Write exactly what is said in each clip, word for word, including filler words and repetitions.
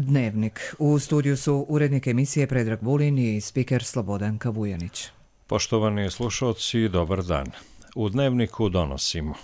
Dnevnik. U studiju su urednik emisije Predrag Vulin i spiker Slobodan Kavujanić. Poštovani slušalci, dobar dan. U Dnevniku donosimo: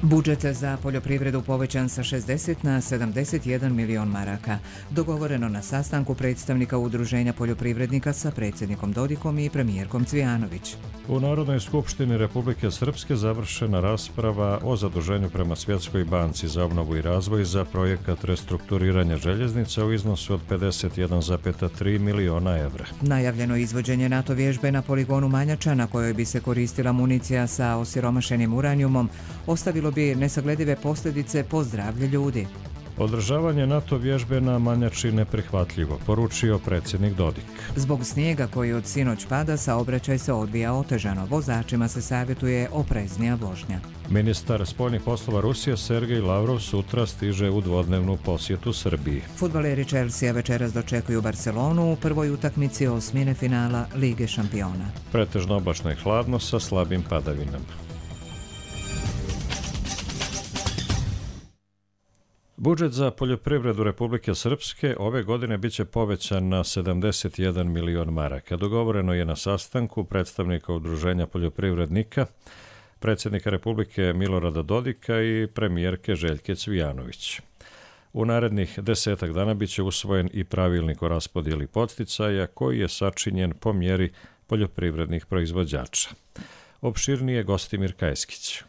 budžet za poljoprivredu povećan sa šezdeset na sedamdeset jedan milion maraka. Dogovoreno na sastanku predstavnika Udruženja poljoprivrednika sa predsjednikom Dodikom i premijerkom Cvijanović. U Narodnoj skupštini Republike Srpske završena rasprava o zaduženju prema Svjetskoj banci za obnovu i razvoj za projekat restrukturiranja željeznica u iznosu od pedeset jedan zarez tri miliona evra. Najavljeno izvođenje NATO vježbe na poligonu Manjača, na kojoj bi se koristila municija sa osiromašenim uranijumom, ostavilo bi nesagledive posljedice po zdravlje ljudi. Održavanje NATO vježbe na Manjači neprihvatljivo, poručio predsjednik Dodik. Zbog snijega koji od sinoć pada, saobraćaj se odvija otežano. Vozačima se savjetuje opreznija vožnja. Ministar spoljnih poslova Rusije Sergej Lavrov sutra stiže u dvodnevnu posjetu Srbiji. Fudbaleri Chelsea večeras dočekuju Barcelonu u prvoj utakmici osmine finala Lige šampiona. Pretežno oblačno i hladno sa slabim padavinama. Budžet za poljoprivredu Republike Srpske ove godine biće povećan na sedamdeset jedan milion maraka. Dogovoreno je na sastanku predstavnika Udruženja poljoprivrednika, predsjednika Republike Milorada Dodika i premijerke Željke Cvijanović. U narednih desetak dana biće usvojen i pravilnik o raspodjeli podsticaja koji je sačinjen po mjeri poljoprivrednih proizvođača. Opširnije Gostimir Kajskić.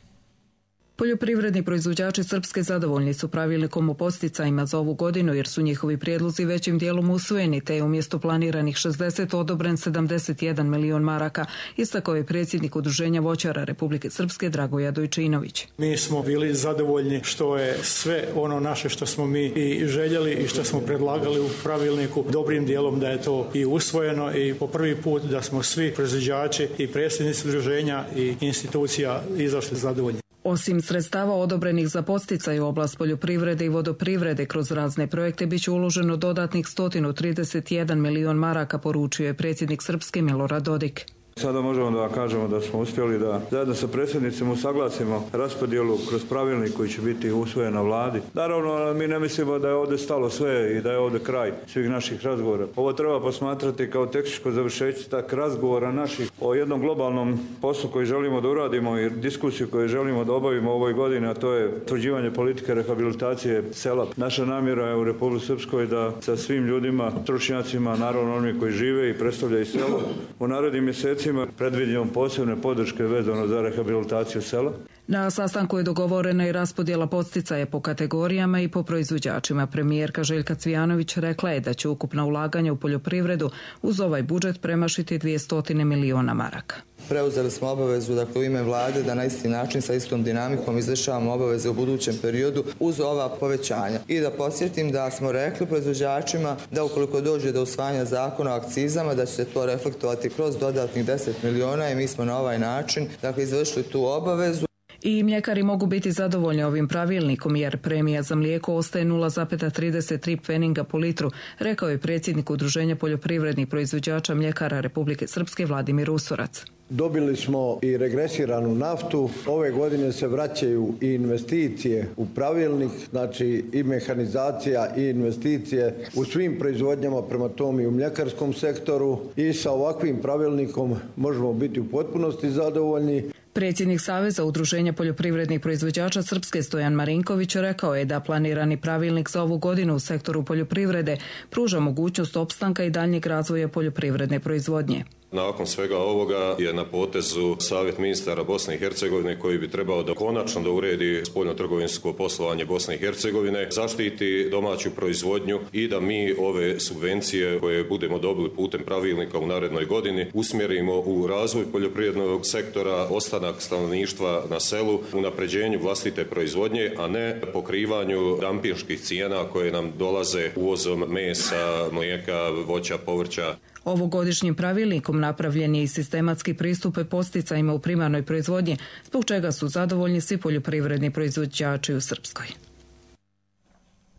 Poljoprivredni proizvođači Srpske zadovoljni su pravilnikom o podsticajima za ovu godinu jer su njihovi prijedlozi većim dijelom usvojeni, te je umjesto planiranih šezdeset odobren sedamdeset jedan milion maraka, istakao je predsjednik Udruženja voćara Republike Srpske Dragoja Dojčinović. Mi smo bili zadovoljni što je sve ono naše što smo mi i željeli i što smo predlagali u pravilniku dobrim dijelom da je to i usvojeno i po prvi put da smo svi proizvođači i predsjednici udruženja i institucija izašli zadovoljni. Osim sredstava odobrenih za podsticaj u oblast poljoprivrede i vodoprivrede kroz razne projekte biće uloženo dodatnih sto trideset jedan milion maraka, poručio je predsjednik Srpske Milorad Dodik. Sada možemo da kažemo da smo uspjeli da zajedno sa predsjednicima usaglasimo raspodjelu kroz pravilnik koji će biti usvojen na vladi. Naravno, mi ne mislimo da je ovdje stalo sve i da je ovdje kraj svih naših razgovora. Ovo treba posmatrati kao tehničko završetak razgovora naših o jednom globalnom poslu koji želimo da uradimo i diskusiju koju želimo da obavimo ovoj godini, a to je utvrđivanje politike rehabilitacije sela. Naša namjera je u Republici Srpskoj da sa svim ljudima, stručnjacima, naravno oni koji žive i predstavljaju selo, u narednim mjesecima predvidimo posebne podrške vezano za rehabilitaciju sela. Na sastanku je dogovorena i raspodjela podsticaja po kategorijama i po proizvođačima. Premijerka Željka Cvijanović rekla je da će ukupna ulaganja u poljoprivredu uz ovaj budžet premašiti dvjesto miliona maraka. Preuzeli smo obavezu, dakle, u ime vlade da na isti način sa istom dinamikom izvršavamo obaveze u budućem periodu uz ova povećanja. I da podsjetim da smo rekli proizvođačima da ukoliko dođe do usvajanja zakona o akcizama da će se to reflektovati kroz dodatnih deset miliona i mi smo na ovaj način, dakle, izvršili tu obavezu. I mljekari mogu biti zadovoljni ovim pravilnikom jer premija za mlijeko ostaje nula zarez trideset tri pfeninga po litru, rekao je predsjednik Udruženja poljoprivrednih proizvođača mljekara Republike Srpske Vladimir Usorac. Dobili smo i regresiranu naftu. Ove godine se vraćaju i investicije u pravilnik, znači i mehanizacija i investicije u svim proizvodnjama, prema tome i u mljekarskom sektoru, i sa ovakvim pravilnikom možemo biti u potpunosti zadovoljni. Predsjednik Saveza Udruženja poljoprivrednih proizvođača Srpske Stojan Marinković rekao je da planirani pravilnik za ovu godinu u sektoru poljoprivrede pruža mogućnost opstanka i daljnjeg razvoja poljoprivredne proizvodnje. Nakon svega ovoga je na potezu Savjet ministara Bosne i Hercegovine koji bi trebao da konačno da uredi spoljno-trgovinsko poslovanje Bosne i Hercegovine, zaštiti domaću proizvodnju i da mi ove subvencije koje budemo dobili putem pravilnika u narednoj godini usmjerimo u razvoj poljoprivrednog sektora, ostanak stanovništva na selu, unapređenju vlastite proizvodnje, a ne pokrivanju dampinških cijena koje nam dolaze uvozom mesa, mlijeka, voća, povrća. Ovogodišnjim pravilnikom napravljen je i sistematski pristup podsticajima u primarnoj proizvodnji, zbog čega su zadovoljni svi poljoprivredni proizvođači u Srpskoj.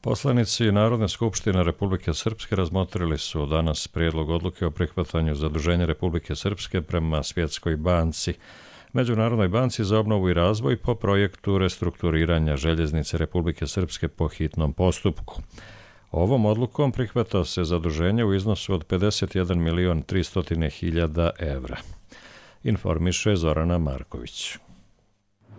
Poslanici Narodne skupštine Republike Srpske razmotrili su danas prijedlog odluke o prihvatanju zaduženja Republike Srpske prema Svjetskoj banci. Međunarodnoj banci za obnovu i razvoj po projektu restrukturiranja željeznice Republike Srpske po hitnom postupku. Ovom odlukom prihvata se zaduženje u iznosu od pedeset jedan milion tristo hiljada evra. Informiše Zorana Marković.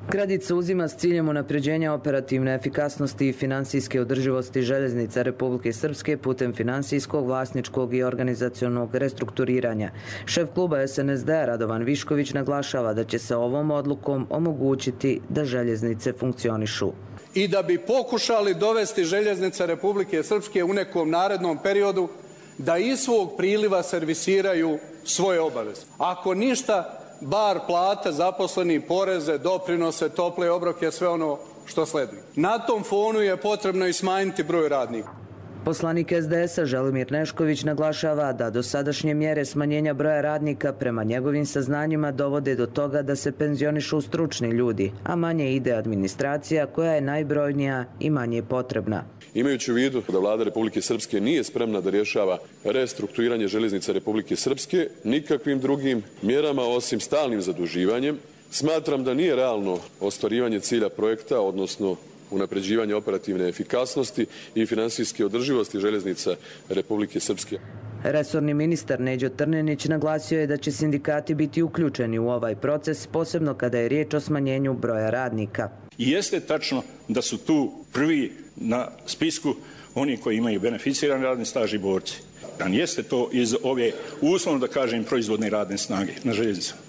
Kredit se uzima s ciljem unapređenja operativne efikasnosti i finansijske održivosti željeznica Republike Srpske putem finansijskog, vlasničkog i organizacionog restrukturiranja. Šef kluba es en es de Radovan Višković naglašava da će se ovom odlukom omogućiti da željeznice funkcionišu. I da bi pokušali dovesti željeznice Republike Srpske u nekom narednom periodu da iz svog priliva servisiraju svoje obaveze. Ako ništa, bar plate, zaposleni, poreze, doprinose, tople obroke, sve ono što sledi. Na tom fonu je potrebno i smanjiti broj radnika. Poslanik es de es-a Želimir Nešković naglašava da dosadašnje mjere smanjenja broja radnika prema njegovim saznanjima dovode do toga da se penzionišu stručni ljudi, a manje ide administracija koja je najbrojnija i manje potrebna. Imajući u vidu da vlada Republike Srpske nije spremna da rješava restrukturiranje željeznice Republike Srpske nikakvim drugim mjerama osim stalnim zaduživanjem, smatram da nije realno ostvarivanje cilja projekta, odnosno unapređivanje operativne efikasnosti i finansijske održivosti željeznica Republike Srpske. Resorni ministar Neđo Trnenić naglasio je da će sindikati biti uključeni u ovaj proces, posebno kada je riječ o smanjenju broja radnika. I jeste tačno da su tu prvi na spisku oni koji imaju beneficirani radni staž i borci. Dan jeste to iz ove, uslovno da kažem, proizvodne radne snage na željeznicama.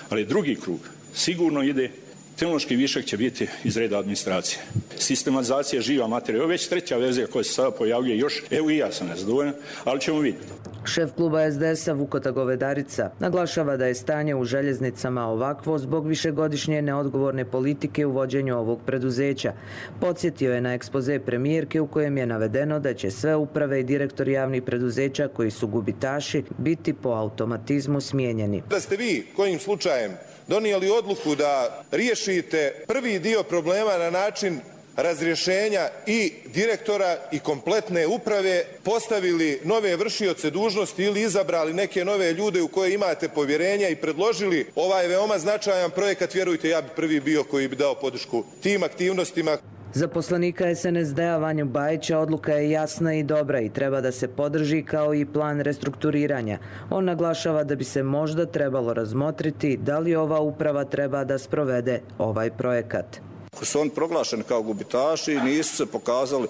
Ali drugi krug sigurno ide. Tehnološki višak će biti iz reda administracije. Sistematizacija živa materija. Ovo je već treća verzija koja se sada pojavljuje još. Evo i ja sam nezadovoljan, ali ćemo vidjeti. Šef kluba es de es-a Vukota Govedarica naglašava da je stanje u željeznicama ovakvo zbog višegodišnje neodgovorne politike u vođenju ovog preduzeća. Podsjetio je na ekspoze premijerke u kojem je navedeno da će sve uprave i direktori javnih preduzeća koji su gubitaši biti po automatizmu smijenjeni. Da ste vi kojim slučajem donijeli odluku da riješite prvi dio problema na način razrješenja i direktora i kompletne uprave, postavili nove vršioce dužnosti ili izabrali neke nove ljude u koje imate povjerenja i predložili ovaj veoma značajan projekat, vjerujte, ja bi prvi bio koji bi dao podršku tim aktivnostima. Za poslanika es en es de-a Vanju Bajića odluka je jasna i dobra i treba da se podrži kao i plan restrukturiranja. On naglašava da bi se možda trebalo razmotriti da li ova uprava treba da sprovede ovaj projekat. Ako su oni proglašeni kao gubitaši, nisu se pokazali,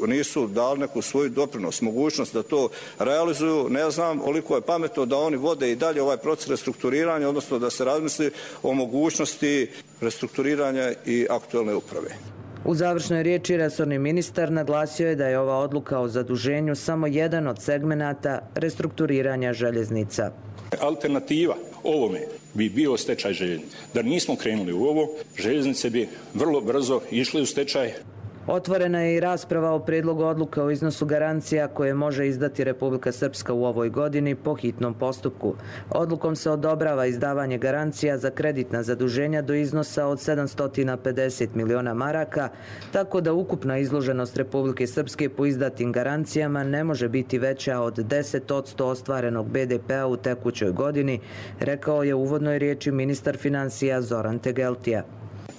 nisu dali neku svoju doprinos, mogućnost da to realizuju. Ne znam koliko je pametno da oni vode i dalje ovaj proces restrukturiranja, odnosno da se razmisli o mogućnosti restrukturiranja i aktuelne uprave. U završnoj riječi resorni ministar naglasio je da je ova odluka o zaduženju samo jedan od segmenata restrukturiranja željeznica. Alternativa ovome bi bio stečaj željeznice. Da nismo krenuli u ovo, željeznice bi vrlo brzo išle u stečaj. Otvorena je i rasprava o prijedlogu odluka o iznosu garancija koje može izdati Republika Srpska u ovoj godini po hitnom postupku. Odlukom se odobrava izdavanje garancija za kreditna zaduženja do iznosa od sedamsto pedeset miliona maraka, tako da ukupna izloženost Republike Srpske po izdatim garancijama ne može biti veća od deset posto ostvarenog be de pe-a u tekućoj godini, rekao je u uvodnoj riječi ministar financija Zoran Tegeltija.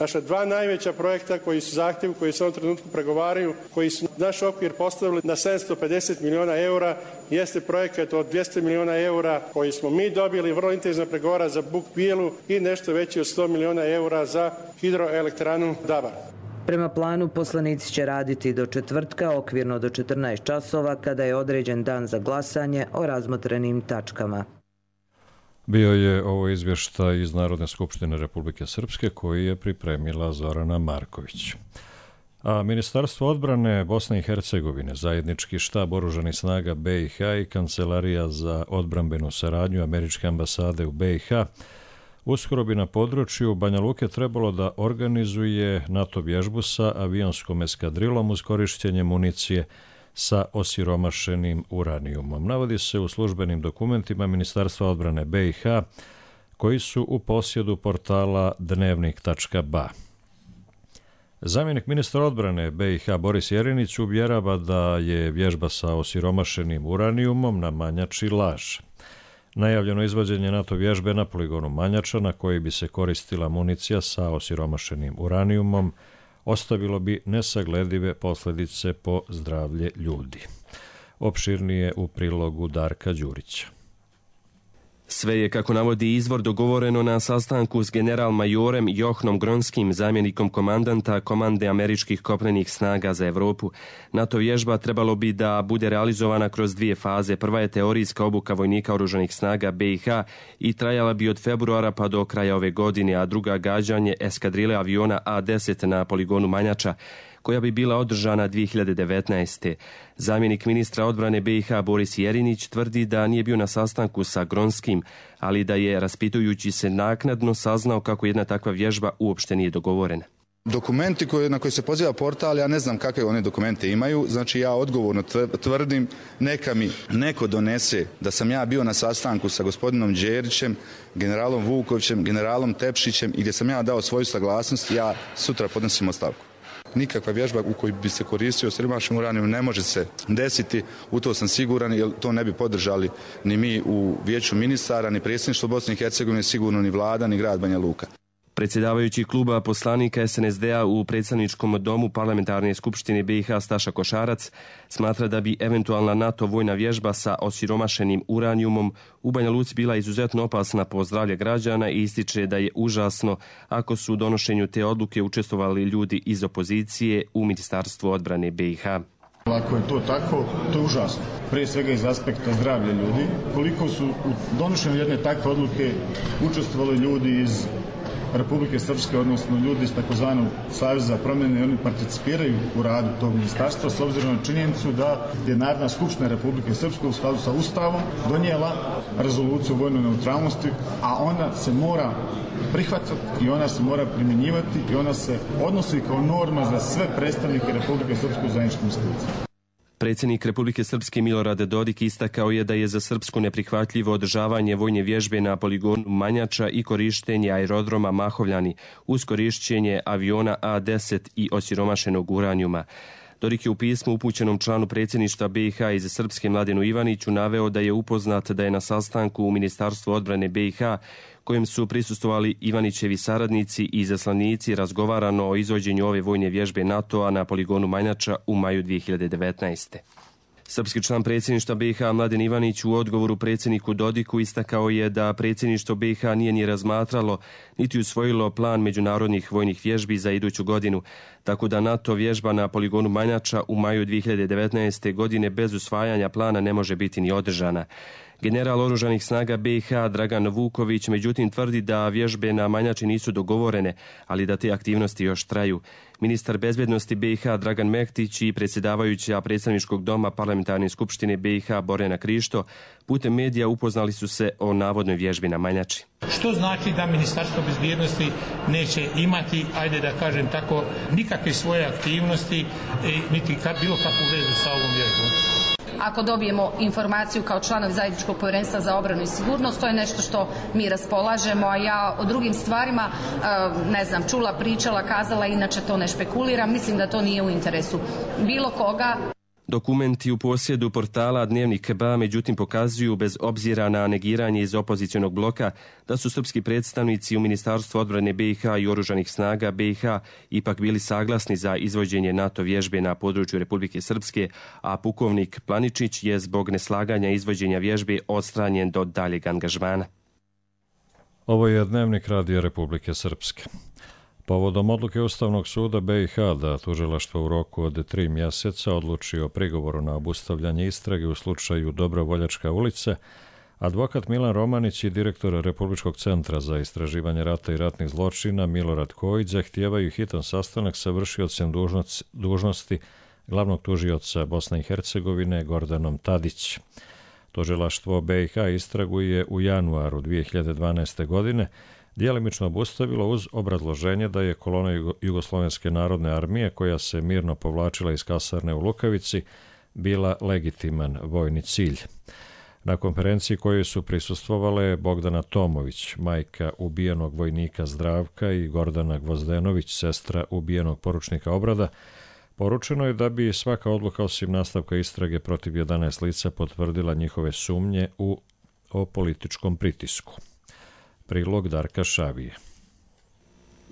Naša dva najveća projekta koji su zahtjevi, koji se u ovom trenutku pregovaraju, koji su naš okvir postavili na sedamsto pedeset miliona eura, jeste projekat od dvjesto miliona eura koji smo mi dobili, vrlo intenzivno pregovara za Buk Bijelu i nešto veći od sto miliona eura za hidroelektranu Dabar. Prema planu poslanici će raditi do četvrtka, okvirno do četrnaest časova, kada je određen dan za glasanje o razmotrenim tačkama. Bio je ovo izvještaj iz Narodne skupštine Republike Srpske koji je pripremila Zorana Marković. A Ministarstvo odbrane Bosne i Hercegovine, zajednički štab oružanih snaga be i ha i Kancelarija za odbrambenu saradnju Američke ambasade u be i ha uskoro bi na području Banja Luke trebalo da organizuje NATO vježbu sa avionskom eskadrilom uz korištenje municije sa osiromašenim uranijumom. Navodi se u službenim dokumentima Ministarstva odbrane be i ha koji su u posjedu portala dnevnik tačka ba. Zamjenik ministra odbrane be i ha Boris Jerinić uvjerava da je vježba sa osiromašenim uranijumom na Manjači laž. Najavljeno izvođenje NATO vježbe na poligonu Manjača, na koji bi se koristila municija sa osiromašenim uranijumom, ostavilo bi nesagledive posljedice po zdravlje ljudi. Opširnije u prilogu Darka Đurića. Sve je, kako navodi izvor, dogovoreno na sastanku s general-majorem Johnom Gronskim, zamjenikom komandanta Komande američkih kopnenih snaga za Europu. NATO vježba trebalo bi da bude realizovana kroz dvije faze. Prva je teorijska obuka vojnika oružanih snaga B i H i trajala bi od februara pa do kraja ove godine, a druga gađanje eskadrile aviona A deset na poligonu Manjača, koja bi bila održana dvije hiljade devetnaeste. Zamjenik ministra odbrane B i H Boris Jerinić tvrdi da nije bio na sastanku sa Gronskim, ali da je, raspitujući se, naknadno saznao kako jedna takva vježba uopšte nije dogovorena. Dokumenti koje, na koje se poziva portal, ja ne znam kakve one dokumente imaju, znači ja odgovorno tvrdim, neka mi neko donese da sam ja bio na sastanku sa gospodinom Đerićem, generalom Vukovićem, generalom Tepšićem i gdje sam ja dao svoju saglasnost, ja sutra podnosim ostavku. Nikakva vježba u kojoj bi se koristio osiromašen uranijum ne može se desiti, u to sam siguran, jer to ne bi podržali ni mi u Vijeću ministara, ni predsjedništvo Bosne i Hercegovine, sigurno ni vlada, ni grad Banja Luka. Predsjedavajući kluba poslanika S N S D-a u predstavničkom domu Parlamentarne skupštine B i H Staša Košarac smatra da bi eventualna NATO vojna vježba sa osiromašenim uranijumom u Banja Luci bila izuzetno opasna po zdravlje građana i ističe da je užasno ako su u donošenju te odluke učestvovali ljudi iz opozicije u Ministarstvu odbrane B i H. Ako je to tako, to je užasno. Prije svega iz aspekta zdravlja ljudi. Koliko su u donošenju jedne takve odluke učestvovali ljudi iz Republike Srpske, odnosno ljudi iz takozvanog Saveza za promjene, oni participiraju u radu tog ministarstva s obzirom na činjenicu da je Narodna skupština Republike Srpske u skladu sa Ustavom donijela rezoluciju o vojnoj neutralnosti, a ona se mora prihvatiti i ona se mora primjenjivati i ona se odnosi kao norma za sve predstavnike Republike Srpske u zajedničkim institucijama. Predsjednik Republike Srpske Milorad Dodik istakao je da je za Srpsku neprihvatljivo održavanje vojne vježbe na poligonu Manjača i korištenje aerodroma Mahovljani uz korišćenje aviona A deset i osiromašenog uranijuma. Dodik je u pismu upućenom članu predsjedništva B i H iz Srpske Mladenu Ivaniću naveo da je upoznat da je na sastanku u Ministarstvu odbrane B i H, kojem su prisustvovali Ivanićevi saradnici i izaslanici, razgovarano o izvođenju ove vojne vježbe NATO-a na poligonu Manjača u maju dvije hiljade devetnaeste. Srpski član predsjedništva B i H Mladen Ivanić u odgovoru predsjedniku Dodiku istakao je da predsjedništvo B i H nije ni razmatralo niti usvojilo plan međunarodnih vojnih vježbi za iduću godinu, tako da NATO vježba na poligonu Manjača u maju dvije hiljade devetnaeste. godine bez usvajanja plana ne može biti ni održana. General oružanih snaga B i H Dragan Vuković međutim tvrdi da vježbe na Manjači nisu dogovorene, ali da te aktivnosti još traju. Ministar bezbjednosti B i H Dragan Mektić i predsjedavajuća predstavničkog doma Parlamentarne skupštine B i H Borjana Krišto putem medija upoznali su se o navodnoj vježbi na Manjači. Što znači da Ministarstvo bezbjednosti neće imati, ajde da kažem tako, nikakve svoje aktivnosti, niti bilo kakvu vezu sa ovom vježbom? Ako dobijemo informaciju kao članovi zajedničkog povjerenstva za obranu i sigurnost, to je nešto što mi raspolažemo, a ja o drugim stvarima, ne znam, čula, pričala, kazala, inače to ne špekuliram, mislim da to nije u interesu bilo koga. Dokumenti u posjedu portala Dnevnik B A međutim pokazuju, bez obzira na negiranje iz opozicionog bloka, da su srpski predstavnici u Ministarstvu odbrane B i H i oružanih snaga B i H ipak bili saglasni za izvođenje NATO vježbe na području Republike Srpske, a pukovnik Planičić je zbog neslaganja izvođenja vježbe odstranjen do daljeg angažmana. Ovo je Dnevnik Radija Republike Srpske. Povodom odluke Ustavnog suda B i H da tužilaštvo u roku od tri mjeseca odluči o prigovoru na obustavljanje istrage u slučaju Dobrovoljačka ulica, advokat Milan Romanić i direktor Republičkog centra za istraživanje rata i ratnih zločina Milorad Kojić zahtijevaju hitan sastanak sa vršiocem dužnosti glavnog tužioca Bosne i Hercegovine Gordanom Tadić. Tužilaštvo B i H istragu je u januaru dvije hiljade dvanaeste. godine djelimično obustavilo uz obrazloženje da je kolona Jugoslovenske narodne armije, koja se mirno povlačila iz kasarne u Lukavici, bila legitiman vojni cilj. Na konferenciji kojoj su prisustvovale Bogdana Tomović, majka ubijenog vojnika Zdravka, i Gordana Gvozdenović, sestra ubijenog poručnika Obrada, poručeno je da bi svaka odluka osim nastavka istrage protiv jedanaest lica potvrdila njihove sumnje u o političkom pritisku. Prilog Darka Šavije.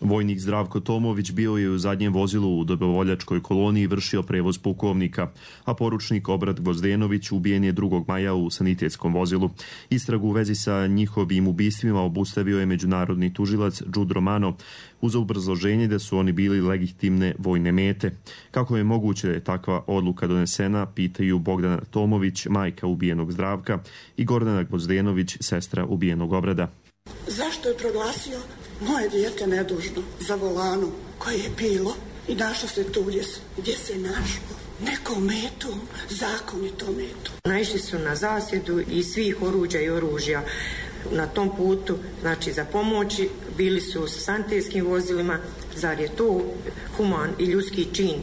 Vojnik Zdravko Tomović bio je u zadnjem vozilu u dobrovoljačkoj koloni i vršio prevoz pukovnika, a poručnik Obrad Gvozdenović ubijen je drugog maja u sanitetskom vozilu. Istragu u vezi sa njihovim ubistvima obustavio je međunarodni tužilac Đud Romano uz obrazloženje da su oni bili legitimne vojne mete. Kako je moguće da je takva odluka donesena, pitaju Bogdana Tomović, majka ubijenog Zdravka, i Gordana Gvozdenović, sestra ubijenog Obrada. Zašto je proglasio moje dijete nedužno za volanom koje je bilo i našlo se tu gdje, gdje se našlo? Nekom metom, zakonitom metom. Naišli su na zasjedu i svih oruđa i oružja na tom putu, znači za pomoći, bili su sa sanitetskim vozilima. Zar je to human i ljudski čin?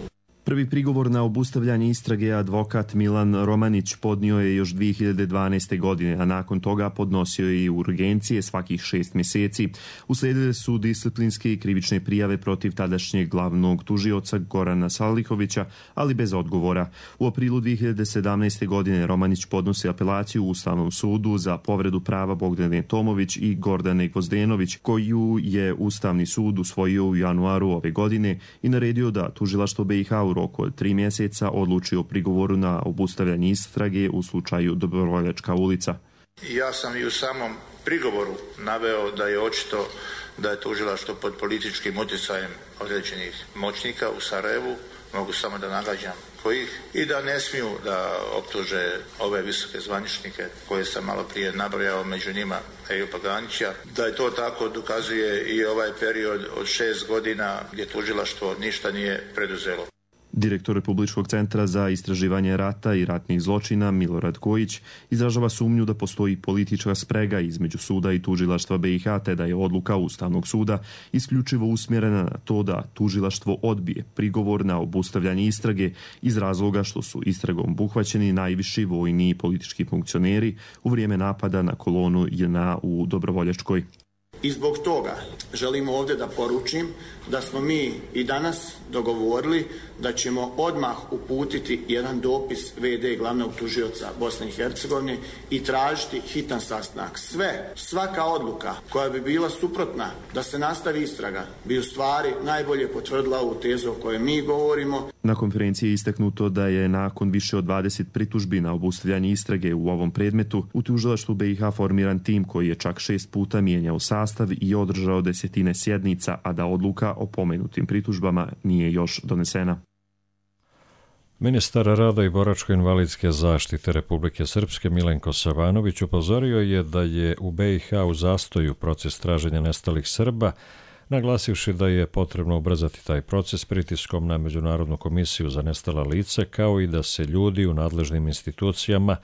Prvi prigovor na obustavljanje istrage advokat Milan Romanić podnio je još dvije hiljade dvanaeste. godine, a nakon toga podnosio je i urgencije svakih šest mjeseci. Uslijedile su disciplinske i krivične prijave protiv tadašnjeg glavnog tužioca Gorana Salihovića, ali bez odgovora. U aprilu dvije hiljade sedamnaeste. godine Romanić podnosi apelaciju u Ustavnom sudu za povredu prava Bogdane Tomović i Gordane Gvozdenović, koju je Ustavni sud usvojio u januaru ove godine i naredio da tužilaštvo B i H u roku od tri mjeseca odluči o prigovoru na obustavljanje istrage u slučaju Dobrovoljačka ulica. Ja sam i u samom prigovoru naveo da je očito da je tužilaštvo pod političkim utjecajem određenih moćnika u Sarajevu, mogu samo da nagađam kojih, i da ne smiju da optuže ove visoke zvaničnike koje sam malo prije nabrojao, među njima Ejupa Ganića. Da je to tako dokazuje i ovaj period od šest godina gdje tužilaštvo ništa nije preduzelo. Direktor Republičkog centra za istraživanje rata i ratnih zločina Milorad Kojić izražava sumnju da postoji politička sprega između suda i tužilaštva B i H, te da je odluka Ustavnog suda isključivo usmjerena na to da tužilaštvo odbije prigovor na obustavljanje istrage iz razloga što su istragom obuhvaćeni najviši vojni i politički funkcioneri u vrijeme napada na kolonu J N A u Dobrovoljačkoj. I zbog toga želim ovdje da poručim da smo mi i danas dogovorili da ćemo odmah uputiti jedan dopis V D glavnog tužioca Bosne i Hercegovine i tražiti hitan sastanak. Sve, svaka odluka koja bi bila suprotna da se nastavi istraga bi u stvari najbolje potvrdila ovu tezu o kojoj mi govorimo. Na konferenciji je istaknuto da je nakon više od dvadeset pritužbi na obustavljanje istrage u ovom predmetu u tužilaštvu B i H formiran tim koji je čak šest puta mijenjao sastav i održao desetine sjednica, a da odluka o pomenutim pritužbama nije još donesena. Ministar rada i boračko-invalidske zaštite Republike Srpske Milenko Savanović upozorio je da je u B i H u zastoju proces traženja nestalih Srba, naglasivši da je potrebno ubrzati taj proces pritiskom na Međunarodnu komisiju za nestala lica, kao i da se ljudi u nadležnim institucijama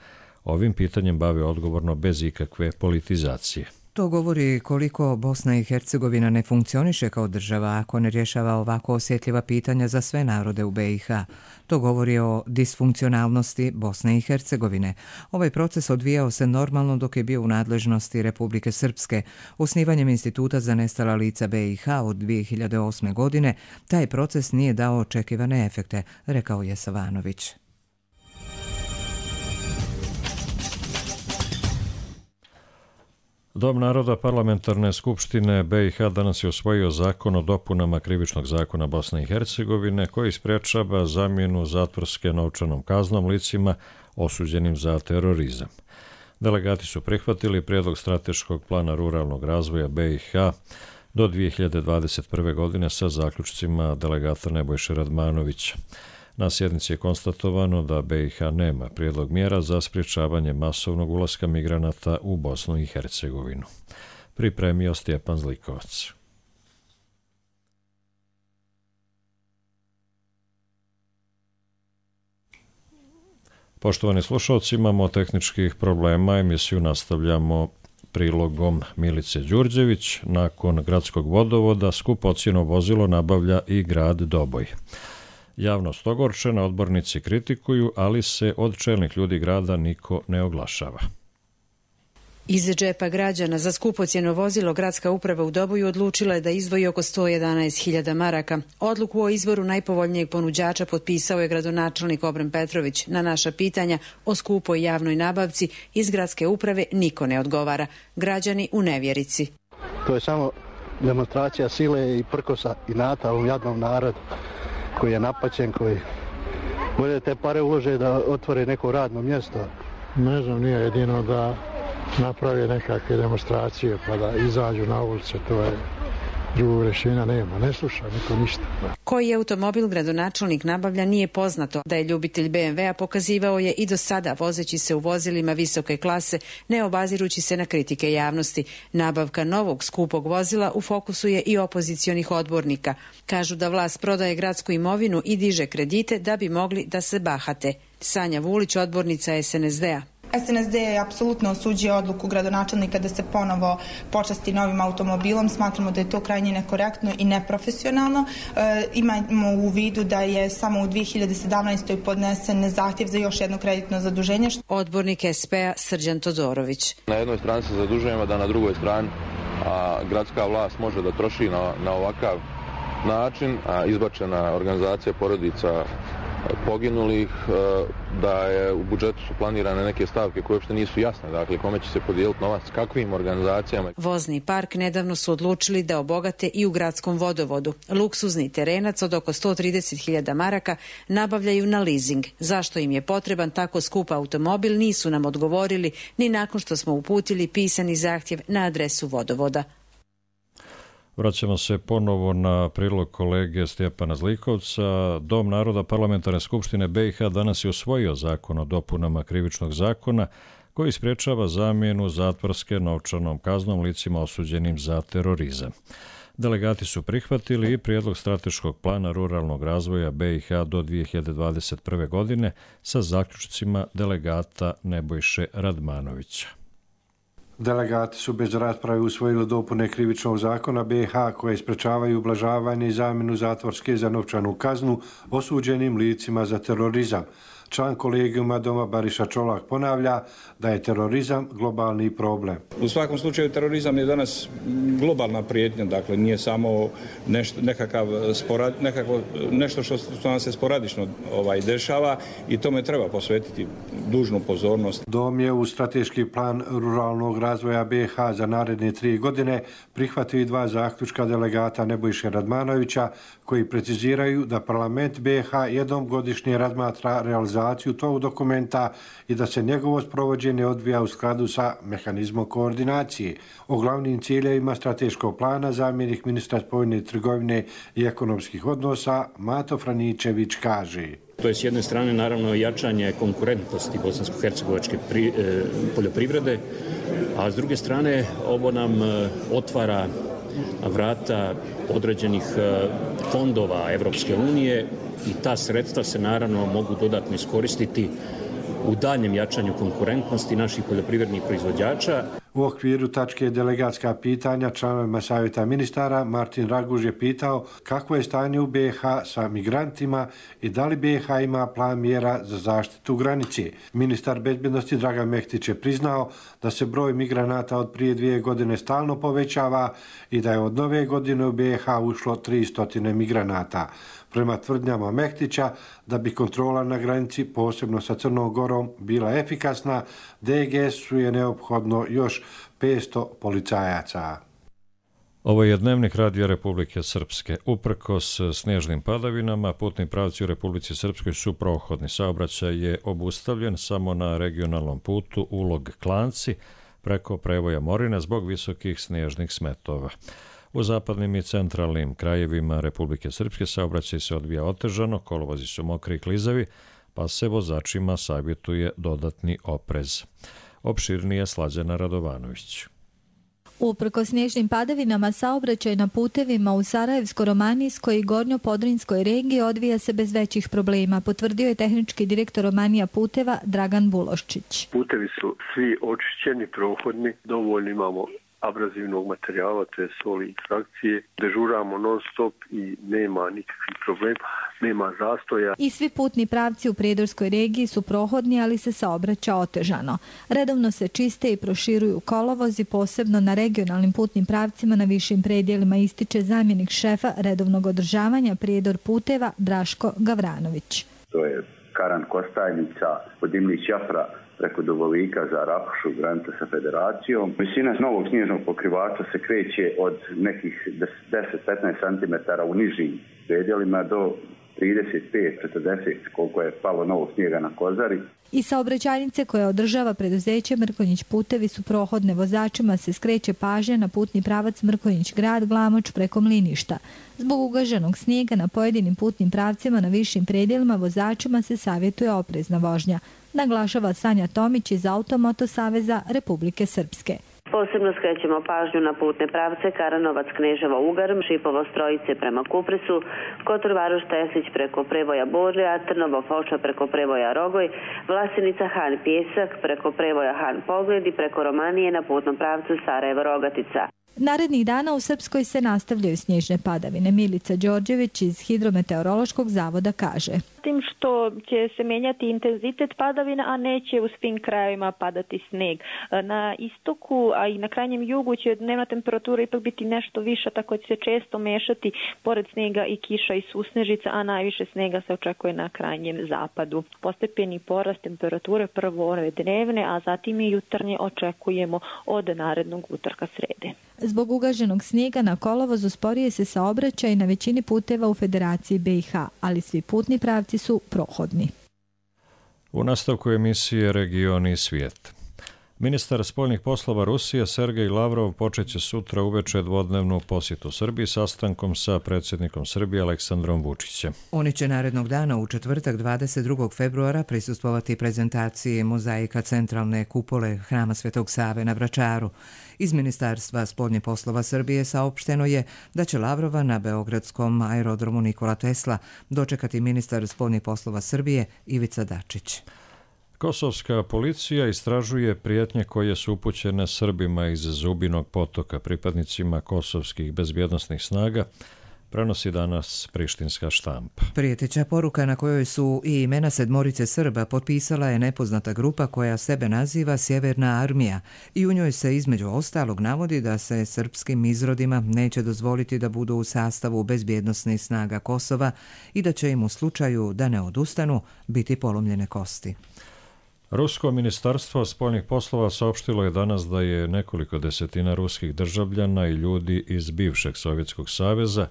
ovim pitanjem bave odgovorno bez ikakve politizacije. To govori koliko Bosna i Hercegovina ne funkcioniše kao država ako ne rješava ovako osjetljiva pitanja za sve narode u B i H. To govori o disfunkcionalnosti Bosne i Hercegovine. Ovaj proces odvijao se normalno dok je bio u nadležnosti Republike Srpske. Osnivanjem Instituta za nestala lica B i H od dvije hiljade osme. godine taj proces nije dao očekivane efekte, rekao je Savanović. Dom naroda Parlamentarne skupštine B i H danas je usvojio zakon o dopunama Krivičnog zakona Bosne i Hercegovine koji sprječava zamjenu zatvorske novčanom kaznom licima osuđenim za terorizam. Delegati su prihvatili prijedlog strateškog plana ruralnog razvoja B i H do dvije hiljade dvadeset prve. godine sa zaključcima delegata Nebojše Radmanovića. Na sjednici je konstatovano da B i H nema prijedlog mjera za sprječavanje masovnog ulaska migranata u Bosnu i Hercegovinu. Pripremio Stjepan Zlikovac. Poštovani slušalci, imamo tehničkih problema, emisiju nastavljamo prilogom Milice Đurđević. Nakon gradskog vodovoda skupocjeno vozilo nabavlja i grad Doboj. Javnost ogorčena, odbornici kritikuju, ali se od čelnih ljudi grada niko ne oglašava. Iz džepa građana za skupocjeno vozilo gradska uprava u Doboju odlučila je da izdvoji oko sto jedanaest hiljada maraka. Odluku o izboru najpovoljnijeg ponuđača potpisao je gradonačelnik Obren Petrović. Na naša pitanja o skupoj javnoj nabavci iz gradske uprave niko ne odgovara. Građani u nevjerici. To je samo demonstracija sile i prkosa i nata u jadnom narodu koji je napaćen, koji bolje te pare ulože da otvore neko radno mjesto. Ne znam, nije jedino da naprave nekakve demonstracije pa da izađu na ulice, to je drugog rješenja nema, ne sluša niko ništa. Koji automobil gradonačelnik nabavlja nije poznato. Da je ljubitelj be em ve a pokazivao je i do sada vozeći se u vozilima visoke klase, ne obazirući se na kritike javnosti. Nabavka novog skupog vozila u fokusu je i opozicionih odbornika. Kažu da vlast prodaje gradsku imovinu i diže kredite da bi mogli da se bahate. Sanja Vulić, odbornica es en es de a. es en es de je apsolutno osuđio odluku gradonačelnika da se ponovo počasti novim automobilom. Smatramo da je to krajnje nekorektno i neprofesionalno. E, imamo u vidu da je samo u dvije hiljade sedamnaestoj podnesen zahtjev za još jedno kreditno zaduženje. Odbornik es pe a Srđan Todorović. Na jednoj strani se zadužujemo da na drugoj strani a, gradska vlast može da troši na, na ovakav način, a izbačena organizacija porodica poginulih, da je u budžetu su planirane neke stavke koje uopšte nisu jasne, dakle kome će se podijeliti novac, kakvim organizacijama. Vozni park nedavno su odlučili da obogate i u gradskom vodovodu. Luksuzni terenac od oko sto trideset hiljada maraka nabavljaju na leasing. Zašto im je potreban tako skup automobil nisu nam odgovorili ni nakon što smo uputili pisani zahtjev na adresu vodovoda. Vraćamo se ponovo na prilog kolege Stjepana Zlikovca. Dom naroda Parlamentarne skupštine be i ha danas je usvojio zakon o dopunama krivičnog zakona koji sprječava zamjenu zatvorske novčanom kaznom licima osuđenim za terorizam. Delegati su prihvatili i prijedlog strateškog plana ruralnog razvoja be i ha do dvije hiljade dvadeset prve. godine sa zaključcima delegata Nebojše Radmanovića. Delegati su bez rasprave usvojili dopune krivičnog zakona be i ha koje sprečavaju ublažavanje i zamjenu zatvorske za novčanu kaznu osuđenim licima za terorizam. Član kolegijuma Doma Bariša Čolak ponavlja da je terorizam globalni problem. U svakom slučaju terorizam je danas globalna prijetnja, dakle nije samo nešto, nekakav sporad, nekako, nešto što, što nam se sporadično ovaj, dešava i tome treba posvetiti dužnu pozornost. Dom je u strateški plan ruralnog razvoja be i ha za naredne tri godine prihvatio i dva zaključka delegata Nebojše Radmanovića koji preciziraju da parlament be i ha jednom godišnje razmatra realizaciju tog dokumenta i da se njegovo sprovođenje odvija u skladu sa mehanizmom koordinacije. O glavnim ciljevima strateškog plana zamjenik ministra spoljne trgovine i ekonomskih odnosa Mato Franičević kaže. To je s jedne strane naravno jačanje konkurentnosti bosansko-hercegovačke pri, e, poljoprivrede, a s druge strane ovo nam e, otvara vrata određenih e, fondova Evropske unije i ta sredstva se naravno mogu dodatno iskoristiti u daljem jačanju konkurentnosti naših poljoprivrednih proizvođača. U okviru tačke delegatska pitanja članovima Savjeta ministara Martin Raguž je pitao kako je stanje u be i ha sa migrantima i da li be i ha ima plan mjera za zaštitu granice. Ministar bezbjednosti Dragan Mehtić je priznao da se broj migranata od prije dvije godine stalno povećava i da je od nove godine u be i ha ušlo tristo migranata. Prema tvrdnjama Mehtića, da bi kontrola na granici, posebno sa Crnom Gorom, bila efikasna, de ge esu je neophodno još petsto policajaca. Ovo je dnevnik Radija Republike Srpske. Uprkos snježnim padavinama, putni pravci u Republici Srpskoj su prohodni. Saobraćaj je obustavljen samo na regionalnom putu Ulog-Klanci preko prevoja Morina zbog visokih snježnih smetova. U zapadnim i centralnim krajevima Republike Srpske saobraćaj se odvija otežano, kolovozi su mokri i klizavi, pa se vozačima savjetuje dodatni oprez. Opširnije Slađana Radovanović. Uprkos snježnim padavinama, saobraćaj na putevima u Sarajevsko-Romanijskoj i Gornjo-Podrinjskoj regiji odvija se bez većih problema, potvrdio je tehnički direktor Romanija puteva Dragan Buloščić. Putevi su svi očišćeni, prohodni, dovoljno imamo abrazivnog materijala, to je soli i frakcije. Dežuramo non stop i nema nikakvih problema, nema zastoja. I svi putni pravci u Prijedorskoj regiji su prohodni, ali se saobraća otežano. Redovno se čiste i proširuju kolovozi, posebno na regionalnim putnim pravcima na višim predjelima, ističe zamjenik šefa redovnog održavanja Prijedor puteva Draško Gavranović. To je Karan Kostajnica, od Dimnić-Jafra preko Dubovika za Rapošu, granica sa Federacijom. Visina novog snježnog pokrivača se kreće od nekih deset do petnaest centimetara u nižim predjelima do trideset pet do četrdeset koliko je palo novog snijega na Kozari. I saobraćajnice koje održava preduzeće Mrkonjić putevi su prohodne. Vozačima se skreće pažnja na putni pravac Mrkonjić grad Glamoč preko Mliništa. Zbog ugaženog snijega na pojedinim putnim pravcima na višim predjelima vozačima se savjetuje oprezna vožnja, naglašava Sanja Tomić iz Automoto saveza Republike Srpske. Posebno skrećemo pažnju na putne pravce Karanovac, Kneževo, Ugarm, Šipovo, Strojice prema Kupresu, Kotor, Varoš, Teslić preko Prevoja, Borlja, Trnovo, Foča preko Prevoja, Rogoj, Vlasenica, Han, Pjesak preko Prevoja, Han, Pogled i preko Romanije na putnom pravcu Sarajevo, Rogatica. Narednih dana u Srpskoj se nastavljaju snježne padavine. Milica Đorđević iz Hidrometeorološkog zavoda kaže: Tim što će se menjati intenzitet padavina, a neće u svim krajevima padati sneg. Na istoku, a i na krajnjem jugu će dnevna temperatura ipak biti nešto viša, tako će se često mešati pored snega i kiša i susnežica, a najviše snega se očekuje na krajnjem zapadu. Postepeni porast temperature prvo ove dnevne, a zatim i jutarnje očekujemo od narednog utorka srede. Zbog ugaženog snijega na kolovozu sporije se saobraćaj na većini puteva u Federaciji B i H, ali svi putni pravci su prohodni. U nastavku emisije Regioni i svijet. Ministar spoljnih poslova Rusije Sergej Lavrov počeće sutra uveče dvodnevnu posjetu Srbiji sastankom sa predsjednikom Srbije Aleksandrom Vučićem. Oni će narednog dana u četvrtak dvadeset drugog februara prisustvovati prezentaciji mozaika centralne kupole Hrama Svetog Save na Vračaru. Iz Ministarstva spoljnih poslova Srbije saopšteno je da će Lavrova na beogradskom aerodromu Nikola Tesla dočekati ministar spoljnih poslova Srbije Ivica Dačić. Kosovska policija istražuje prijetnje koje su upućene Srbima iz Zubinog Potoka, pripadnicima kosovskih bezbjednosnih snaga, prenosi danas prištinska štampa. Prijeteća poruka na kojoj su i imena sedmorice Srba potpisala je nepoznata grupa koja sebe naziva Sjeverna armija i u njoj se između ostalog navodi da se srpskim izrodima neće dozvoliti da budu u sastavu bezbjednosnih snaga Kosova i da će im u slučaju da ne odustanu biti polomljene kosti. Rusko ministarstvo spoljnih poslova saopštilo je danas da je nekoliko desetina ruskih državljana i ljudi iz bivšeg Sovjetskog saveza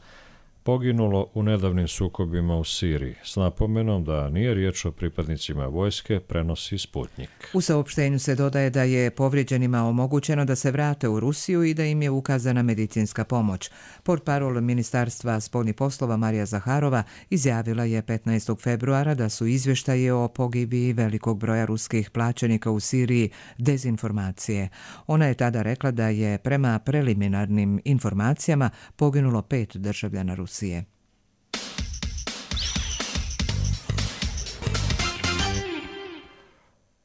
poginulo u nedavnim sukobima u Siriji, s napomenom da nije riječ o pripadnicima vojske, prenosi Sputnik. U saopštenju se dodaje da je povrijeđenima omogućeno da se vrate u Rusiju i da im je ukazana medicinska pomoć. Portparol Ministarstva spoljnih poslova Marija Zaharova izjavila je petnaestog februara da su izvještaje o pogibiji velikog broja ruskih plaćenika u Siriji dezinformacije. Ona je tada rekla da je prema preliminarnim informacijama poginulo pet državljana Rusije.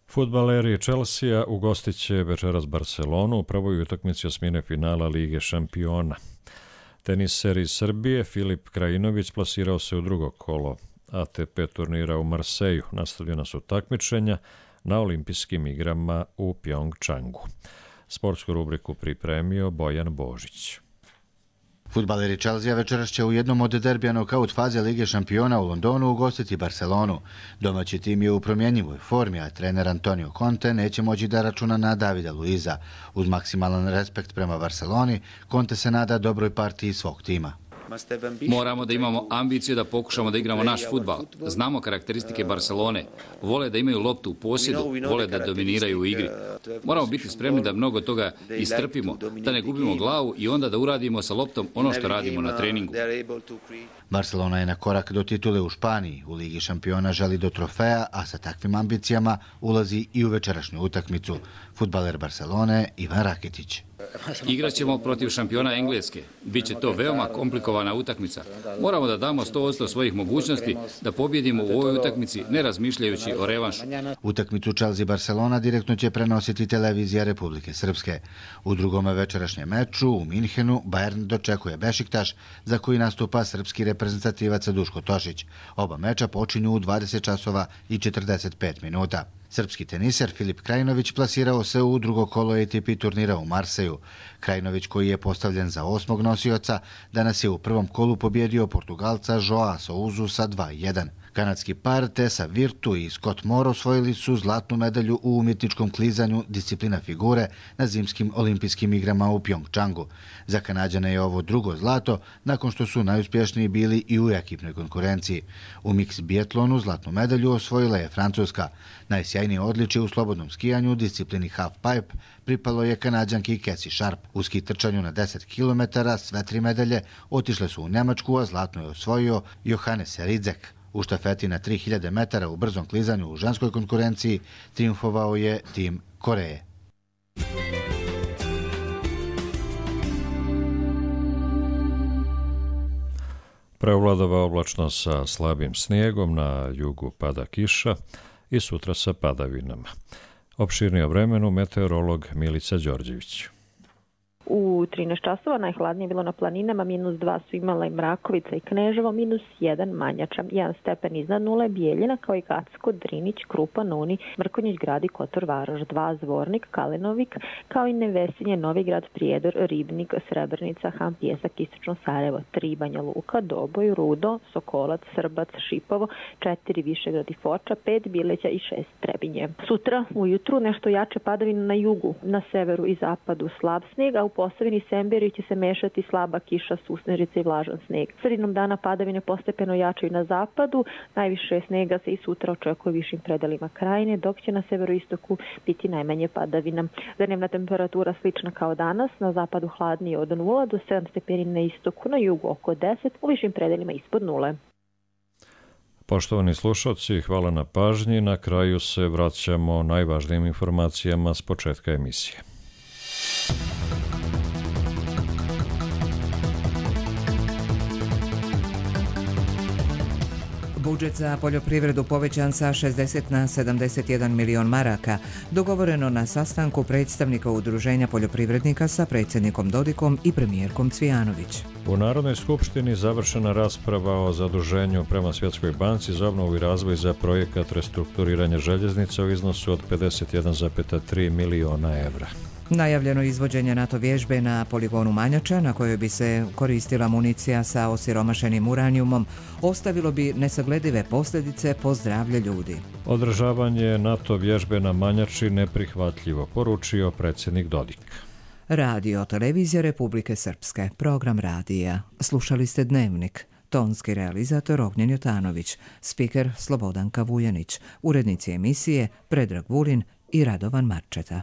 Fudbaleri Chelsea ugostit će večeras Barcelonu u prvoj utakmici osmine finala Lige šampiona. Teniser iz Srbije Filip Krajinović plasirao se u drugo kolo A T P turnira u Marseju. Nastavljena su takmičenja na olimpijskim igrama u Pjongčangu. Sportsku rubriku pripremio Bojan Božić. Fudbaleri Chelsea večeras će u jednom od derbija nokaut faze Lige šampiona u Londonu ugostiti Barcelonu. Domaći tim je u promjenjivoj formi, a trener Antonio Conte neće moći da računa na Davida Luiza. Uz maksimalan respekt prema Barceloni, Conte se nada dobroj partiji svog tima. Moramo da imamo ambiciju da pokušamo da igramo naš fudbal. Znamo karakteristike Barcelone. Vole da imaju loptu u posjedu, vole da dominiraju u igri. Moramo biti spremni da mnogo toga istrpimo, da ne gubimo glavu i onda da uradimo sa loptom ono što radimo na treningu. Barcelona je na korak do titule u Španiji. U Ligi šampiona želi do trofeja, a sa takvim ambicijama ulazi i u večerašnju utakmicu. Fudbaler Barcelone Ivan Raketić. Igraćemo protiv šampiona Engleske. Biće to veoma komplikovana utakmica. Moramo da damo sto posto svojih mogućnosti da pobjedimo u ovoj utakmici, ne razmišljajući o revanšu. Utakmicu Chelsea-Barcelona direktno će prenositi televizija Republike Srpske. U drugome večerašnjem meču u Minhenu Bayern dočekuje Bešiktaš, za koji nastupa srpski reprezentativac Duško Tošić. Oba meča počinju u dvadeset časova i četrdeset pet minuta. Srpski teniser Filip Krajinović plasirao se u drugo kolo A T P turnira u Marseju. Krajinović, koji je postavljen za osmog nosioca, danas je u prvom kolu pobjedio Portugalca Joao Souzu sa dva jedan. Kanadski par Tessa Virtu i Scott Moore osvojili su zlatnu medalju u umjetničkom klizanju disciplina figure na zimskim olimpijskim igrama u Pjongčangu. Za Kanađane je ovo drugo zlato, nakon što su najuspješniji bili i u ekipnoj konkurenciji. U miks biatlonu zlatnu medalju osvojila je Francuska. Najsjajnije odličje u slobodnom skijanju disciplini half pipe pripalo je Kanađanki Cassie Sharp. U ski trčanju na deset kilometara sve tri medalje otišle su u Njemačku, a zlatno je osvojio Johannes Ridzek. U štafeti na tri hiljade metara u brzom klizanju u ženskoj konkurenciji triumfovao je tim Koreje. Preovladava oblačno sa slabim snijegom, na jugu pada kiša i sutra sa padavinama. Opširnije o vremenu meteorolog Milica Đorđević. U trinaest časova najhladnije bilo na planinama, minus dva su imala i Mrakovica i Kneževo, minus jedan Manjača, jedan stepen iznad nule Bijeljina, kao i Gacko, Drinić, Krupa, Nuni, Mrkonjić grad i Kotor Varoš, dva Zvornik, Kalenovik, kao i Nevesinje, Novigrad, Prijedor, Ribnik, Srebrnica, Han, Pjesak, Istočno Sarajevo, tri Banja Luka, Doboj, Rudo, Sokolac, Srbac, Šipovo, četiri Višegrad i Foča, pet Bileća i šest Trebinje. Sutra ujutru nešto jače padavine na jugu, na severu i zapadu slab snijeg, a u Posavini i Semberiju će se mešati slaba kiša, susnežica i vlažan sneg. Sredinom dana padavine postepeno jačaju na zapadu, najviše snega se i sutra očekuje u višim predelima krajine, dok će na severoistoku biti najmanje padavina. Dnevna temperatura slična kao danas, na zapadu hladnije od nula do sedam stepeni na istoku, na jugu oko deset, u višim predelima ispod nule. Poštovani slušalci, hvala na pažnji. Na kraju se vraćamo najvažnijim informacijama s početka emisije. Budžet za poljoprivredu povećan sa šezdeset na sedamdeset jedan milion maraka, dogovoreno na sastanku predstavnika Udruženja poljoprivrednika sa predsjednikom Dodikom i premijerkom Cvijanović. U Narodnoj skupštini završena rasprava o zaduženju prema Svjetskoj banci za obnovu i razvoj za projekat restrukturiranja željeznica u iznosu od pedeset jedan zarez tri miliona evra. Najavljeno izvođenje NATO vježbe na poligonu Manjača, na kojoj bi se koristila municija sa osiromašenim uranijumom, ostavilo bi nesagledive posljedice po zdravlje ljudi. Održavanje NATO vježbe na Manjači neprihvatljivo, poručio predsjednik Dodik. Radio Televizija Republike Srpske, program radija. Slušali ste Dnevnik. Tonski realizator Ognjen Jotanović, spiker Slobodanka Vujanić, urednici emisije Predrag Vulin i Radovan Marčeta.